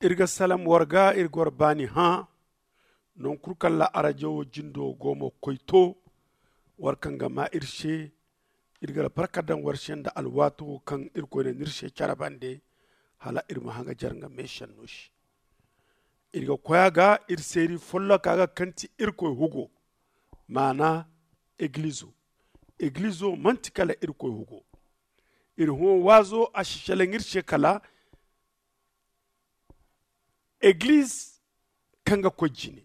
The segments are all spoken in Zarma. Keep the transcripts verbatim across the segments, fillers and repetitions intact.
Iri ga salam war ga, iri ga war baani hã. Nangu kulu kaŋ ra arajawo jindo go ma koy to, war kaŋ ga maa iri se. Iri ga albarka daŋ war se nda alwaato kaŋ irkoy na ni iri se care bande, hala iri ma haŋajer nga meesenno se. Iri ga koy a ga, iri seeri folloka ga kaŋ ti irkoy hugo, maana egilizo. Egilizo manti kala irkoy hugo. Iri hõ waazo a si selaŋ iri se kala egiliz kaŋ ga koy jine.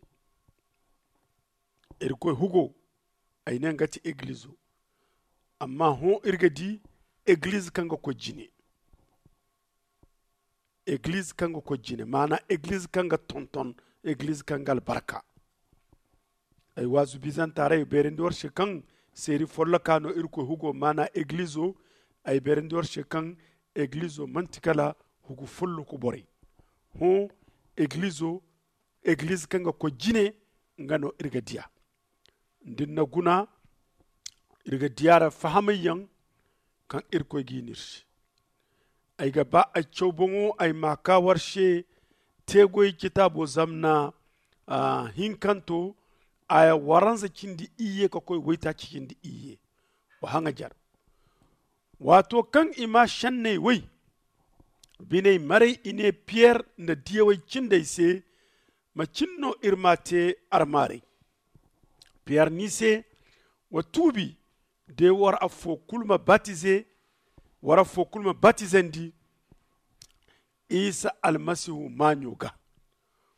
Irkoy hugo, ay ne nga ti egilizo. Amma hõ iri ga di egiliz kaŋ ga koy jine. Egiliz kaŋ ga koy jine, maana egiliz kaŋ ga tonton, egiliz kaŋ ga albarka. Ay waazu bizanta ra ay beerandi war se kaŋ seeri folloka no irkoy hugo, maana egilizo. Ay beerandi war se kaŋ egilizo manti kala hugu folloku borey. Hõ, egilizo, egiliz kaŋ ga koy jine, nga no iri ga diya. Nda iri na guna, iri ga diya ra fahamay yaŋ kaŋ irkoy ga i no iri se. Ay ga ba ay caw boŋo ay ma a kaa war se. Teegoy citaabo zamna hinkanto, aya waranza cindi iyye ka koy waytaaci cindi iyye. Wa haŋajer. Waato kaŋ i maa senney woy, biney maray i ne piyer nda diyawey cindey se, macin no iri m'a te armaaray? Piyer ne i se, wa tuubi, de war affo kulu ma batize, war affo kulu ma batizandi isa almasihu maaɲo ga,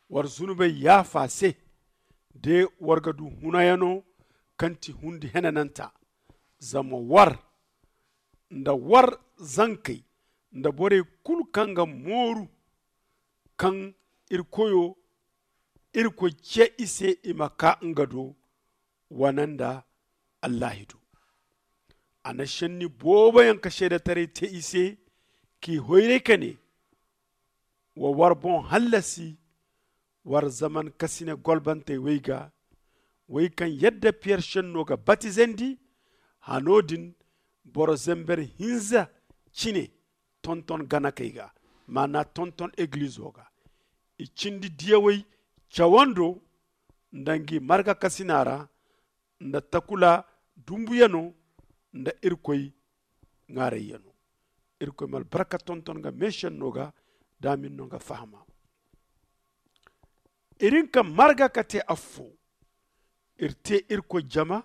war zunubey yaafa se, de war ga du hunayano kaŋ ti hundi henananta. Zama war nda war zankey nda borey kulu kaŋ ga mooru kaŋ iri koyo irkoy ce i se i ma kaa nga do, wane nda allahi do. A na senni boobo yaŋ ka seedetaray te i se, k'i hoyray ka ne, wa war boŋ hallasi war zaman kasine golbantey wey ga, wey kaŋ yadda piyer senno ga batizandi. Hano din boro zember hinza cine tonton ganakey ga, maana tonton egilizo ga. I cindi diyawey cawando nda ngi marga kasina ra, nda takula dumbuyano nda irkoy ŋaarayyano. Irkoy ma albarka tonton nga meesenno ga, da a ma iri no nga fahama. Iri hin ka marga ka te affo. Iri te irkoy jama,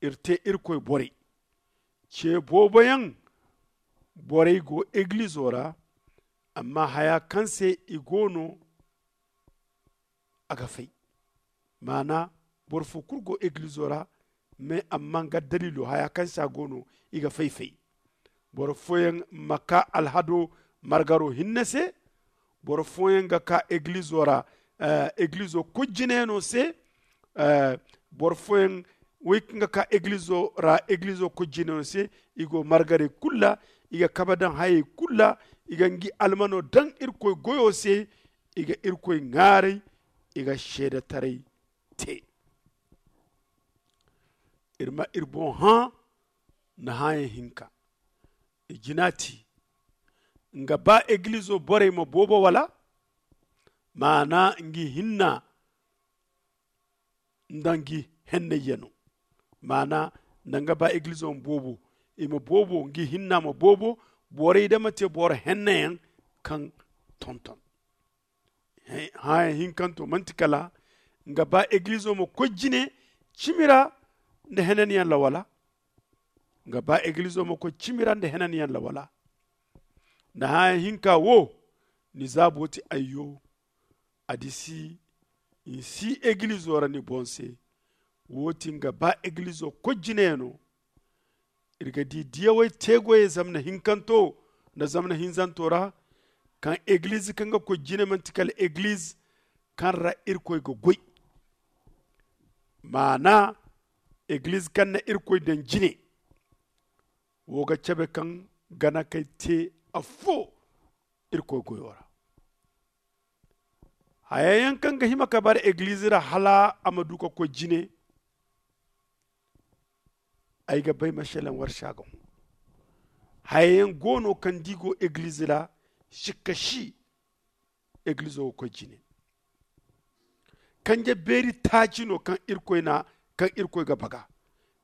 iri te irkoy borey. Ce boobo yaŋ borey go egilizo ra, amma haya kaŋ se i go no a ga fay. Maana boro fo kulu go egilizo ra, mais amma nga daliilo haya kaŋ se a go no i ga fay fay. Boro fooyaŋ ma ka alhado margaro hinne se. Boro fooyaŋ ga ka egilizo ra, egilizo kojinayano se. Boro fooyaŋ wey kaŋ ga ka egilizo ra egilizo kojinayano se, i go margarey kulu ra, i ga kabe daŋ hayey kulu ra, i ga ngi almano daŋ irkoy goyo se, i ga irkoy ŋaaray, i ga seedetaray te. Iri ma iri boŋ hã nda hãayaŋ hinka. I jina ti nga ba egilizo borey ma boobo wala? Maana ngi hinna nda ngi hennayyano. Maana nda nga ba egilizo ma boobo, i ma boobo ngi hinna ma boobo. Borey da ma te boro hennayaŋ kaŋ tonton. Hãayaŋ hinkanto manti kala nga ba egilizo ma koy jine cimi ra nda henanyaŋ ra wala? Nga ba egilizo ma koy cimi ra nda henanyaŋ ra wala? Nda hãayaŋ hinka wo, ni zaabo ti ayyo. A disi ni si egilizo ra ni boŋ se. Wo ti nga ba egilizo koy jinayano. Iri ga di diyawey teegoyey zamna hinkanto nda zamna hinzanto ra, kaŋ egiliz kaŋ ga koy jine manti kala egiliz kaŋ ra irkoy ga goy. Maana egiliz kaŋ na irkoy daŋ jine. Wo ga cabe kaŋ gana kay te affo irkoy goyo ra. Haya yaŋ kaŋ ga hima ka bara egiliz ra hala a ma du ka koy jine. Ay ga bay masalaŋ war se a ga hõ. Haya yaŋ go no kaŋ da i go egiliz ra, sikka si. Eglizo ga koy jine. Kanje beeri taaci no kaŋ irkoy na kaŋ irkoy ga baga.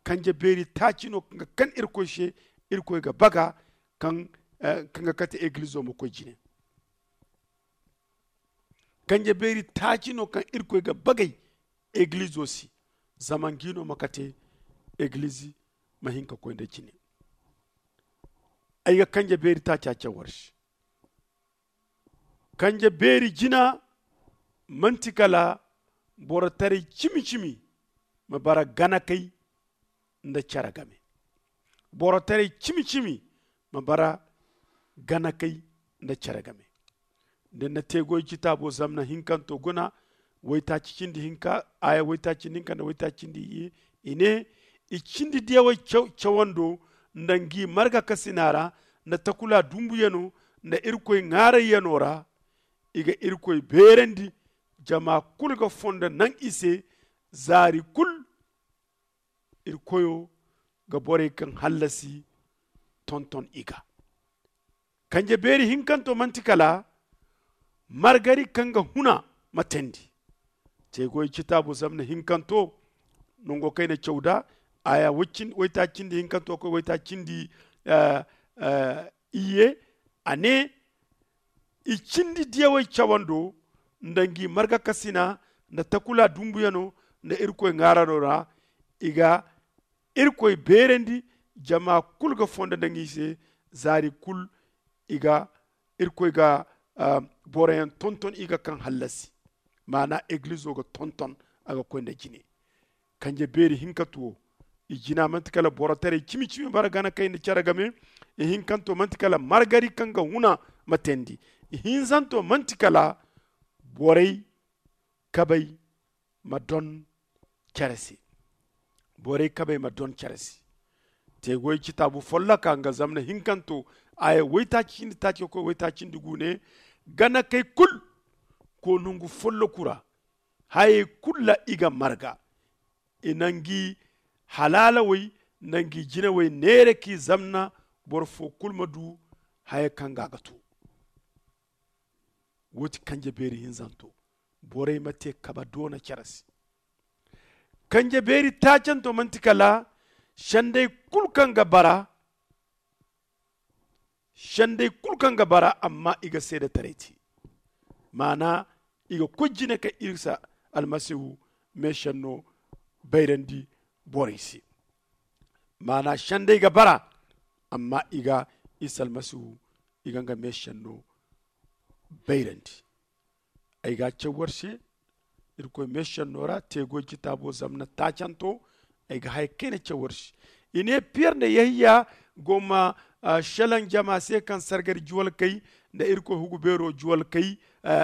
Kanje beeri taaci no kaŋ ga kan irkoy se. Irkoy ga baga kaŋ ga kate eglizo ma koy jine. Kanje beeri taaci no kaŋ irkoy ga bagay eglizo se. Zama ngi no ma kate eglizi ma hin ka koy nda jine. Ay ga kanje beeri taaca cawar se. Kanje beeri jina manti kala boro taray cimi-cimi ma bara ganakay nda care game. Boro taray cimi-cimi ma bara ganakay nda care game. Da ni na te goy citaabo zamna hinkanto guna waytaaci cindi hinka aya waytaaci cindi hinka nda waytaaci cindi iyye. I ne i cindi diyawey cawando nda ngi marga kasina ra nda takula dumbuyano nda irkoy ŋaarayyano ra. I ga irkoy beerandi. Jama kulu ga fondo naŋ i se. Zaari kulu iri koyo ga borey kaŋ hallasi tonton i ga. Kanje beeri hinkanto manti kala margari kaŋ ga huna ma teendi. Teegoy citaabu zamna hinkanto nango kayna caw da aya waytaaci cindi hinkanto koy waytaaci cindi iyye. A ne i cindi diyawey cawando nda ngi margakasina nda takula dumbuyano nda irkoy ŋaarano ra. I ga irkoy beerandi. Jama kulu ga fondo nda ngi se. Zaari kulu i ga irkoy ga boroyaŋ tonton i ga kaŋ hallasi. Maana eglizo ga tonton a ga koy nda jine. Kanje beeri hinkatu wo i jina manti kala boro taray cimi-cimi bara gana kay nda care game. Ihinkanto manti kala margari kaŋ ga huna ma teendi. Ihinzanto manti kala borey kabey ma don care se. Borey kabey ma don care se. Teegoy citaabu folloka nga zamna hinkanto aya waytaaci cindi taaci ga koy waytaaci cindi gu ne. Gana kay kulu ko nongu folloku ra hayey kulu ra i ga marga. I na ngi halaalawey nda ngi jinawey neera k'i zamna boro fo kulu ma du haya kaŋ ga a ga to. Wo ti kanje beeri hinzanto. Borey ma te kaba doona care se. Kanje beeri taacanto manti kala sendey kulu kaŋ ga bara. Sendey kulu kaŋ ga bara amma i ga seedetaray te. Maana i ga koy jine ka isa almasihu meesenno bayrandi borey se. Maana sendey ga bara amma i ga isa almasihu i ga nga meesenno bayrandi. Ay ga a caw war se irkoy meesenno ra teegoy citaabo zamna taacanto. Ay ga haya kayna caw war se. I ne piyer nda yahiya go ma selaŋ jama se kaŋ sargari juwalkey nda irkoy hugu beero juwalkey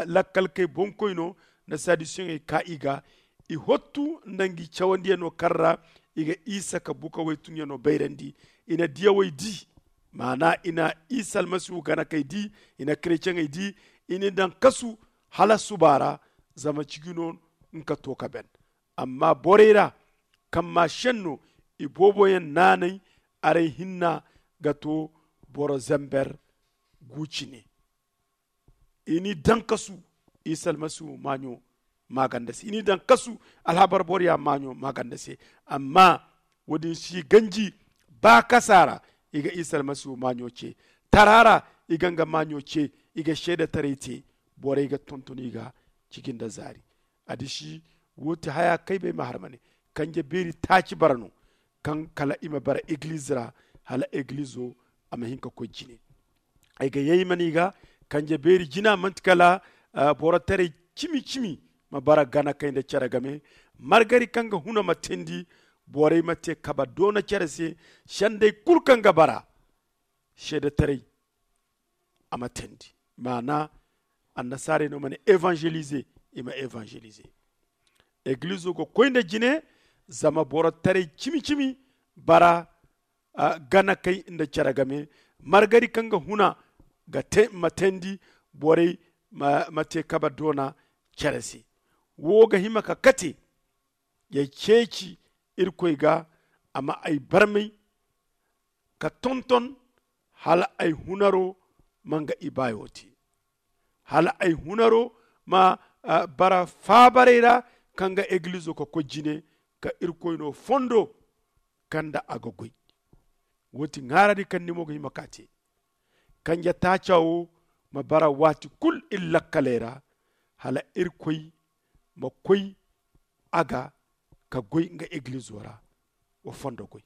lakkalkey boŋkoyno nda sadusiyeŋey ka i ga. I hottu nda ngi cawandiyano kaŋ ra i ga isa ka bukawey tunyano bayrandi. I na diyawey di. Maana i na isa almasihu ganakey di. I na kereceŋey di. I n'i daŋ kasu hala suba ra. Zama ciji no nga ka to ka ben. Amma borey ra kaŋ ma senno i booboyaŋ naanay. Aray hinna ga to boro zember gu cine. I n'i daŋ kasu isa almasihu maaɲo maaganda se i n'i daŋ kasu alhabar boroya maaɲo maaganda se. Amma wo- din si ganji baakasa ra i ga isa almasihu maaɲo ce. Tara ra i ga nga maaɲo ce. I ga seedetaray te. Borey ga tonton i ga ciji nda zaari. Addiši wo ti haya kaŋ ay bay ma har ma ne kanje beeri taaci bara no kaŋ kala i ma bara eglize ra hala eglizo a ma hin ka koy jine. Ay ga yay ma ne i ga kanje beeri jina manti kala boro taray cimi cimi ma bara gana kay nda care game. Margari kaŋ ga huna ma teendi. Borey ma te kaba doona care se. Sendey kulu kaŋ ga bara seedetaray a ma teendi. Maana annasaarey no ma ne evangelize. I ma evangelize. Eglizo ga koy nda jine zama boro taray cimi cimi bara gana kay nda care game. Margari kaŋ ga huna ga te ma teendi. Borey ma te kaba doona care se. Wo ga hima ka kate ya ceeci irkoy ga a ma ay barmay ka tonton hala ay hunaro ma nga ibaayo te. hala ay hunaro ma bara faabaray ra, ka nga egilizo ka koy jine ka irkoyno fondo kaŋ nda a ga goy. Wo- ti ŋaarandi kaŋ ni mo ga hima ka te. Kanje taaca wo ma bara waati kulu iri lakkaley ra, hala irkoy ma koy a ga ka goy nga egilizo ra. Wa fondo goy.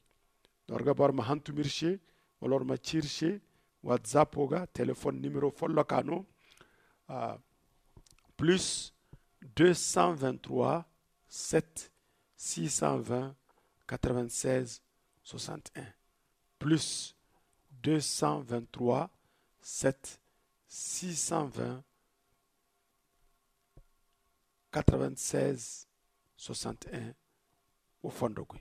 Don war ga boro ma hantum iri se, wala war ma ci iri se. Watsapo ga telefon nimero folloka no. Plus deux cent vingt trois, sept six cent vingt, quatre vingt seize, soixante un. Plus deux cent vingt trois, sept six cent vingt, quatre vingt seize, soixante un. Wa fondo goy.